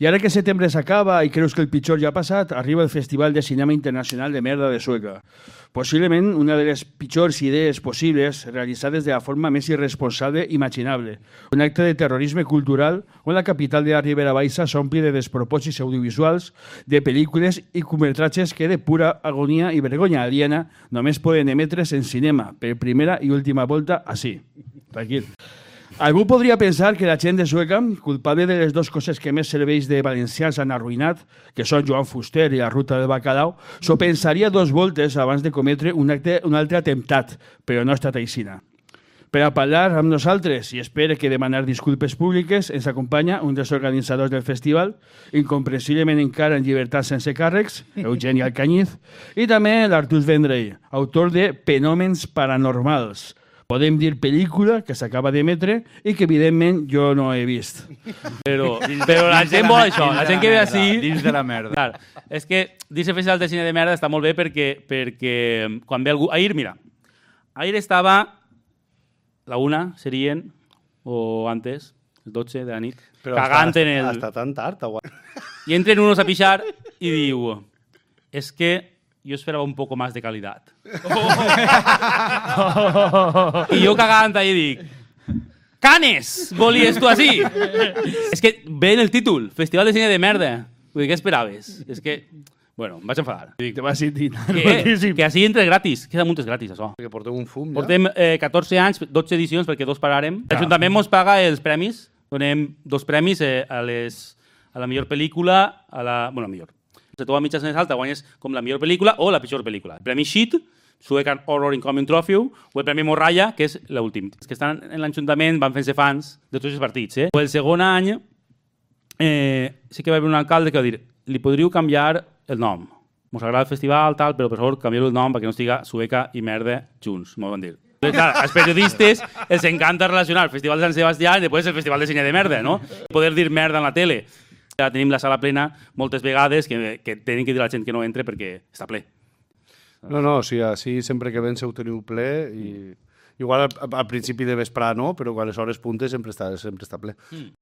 I ara que setembre s'acaba i creus que el pitjor ja ha passat, arriba el Festival de Cinema Internacional de Merda de Sueca. Possiblement una de les pitjors idees possibles realitzades de la forma més irresponsable imaginable. Un acte de terrorisme cultural on la capital de la Ribera Baixa s'ompli de despropòsits audiovisuals, de pel·lícules i curtmetratges que de pura agonia i vergonya aliena només poden emetre's en cinema per primera i última volta així. Tranquil. Algú podria pensar que la gent de Sueca, culpable de les dues coses que més serveis de valencians han arruïnat, que són Joan Fuster i la ruta del bacalao, s'ho pensaria dos voltes abans de cometre un altre atemptat, però no ha estat aixina. Per a parlar amb nosaltres, i espero que demanar disculpes públiques, ens acompanya un dels organitzadors del festival, incomprensiblement encara en llibertat sense càrrecs, Eugeni Alcañiz, i també l'Artús Vendrell, autor de Fenòmens Paranormals, podem dir pel·lícula que s'acaba d'emetre i que evidentment jo no he vist. Però la gent vol això, la gent que ve així... Dins de la merda. Clar, és que dins el Festival de Cine de Merda està molt bé perquè quan ve algú... Ahir, mira, ahir estava la 1, serien, o antes, el 12 de la nit, cagant en el... Hasta tan tard. I entren unos a pixar i diu, és que yo esperaba un poco más de calidad. I jo cagant ahí dic, Canes, volies tu així? És que ve en el títol, Festival de Cine de Merda. Vull dir, què esperaves? És que, bueno, em vaig enfadar. Te vas sentir que així entre gratis, queda multes gratis, això. Perquè portem un fum, ja. Portem 14 anys, 12 edicions, perquè 2 pararem. L'Ajuntament mos paga els premis, donem 2 premis a la millor pel·lícula, bueno, millor. Si tu a mitja més alta guanyes com la millor pel·lícula o la pitjor pel·lícula. El premi Shit, Suecan Horror Incoming Trophy, o el premi Morralla, que és l'últim. Els que estan en l'Ajuntament van fent-se fans de tots els partits. O el segon any sí que va haver un alcalde que va dir li podríeu canviar el nom. Mos agrada el festival, tal, però per favor canvieu el nom perquè no estiga Sueca i Merda junts, m'ho van dir. Clar, als periodistes els encanta relacionar el Festival de Sant Sebastià i després el Festival de Cine de Merda, no? Poder dir merda en la tele. Ja tenim la sala plena moltes vegades que tenen que dir a la gent que no entre perquè està ple. No, sí, així sempre que vens ho teniu ple i igual al principi de vesprà no, però quan les hores puntes sempre està ple.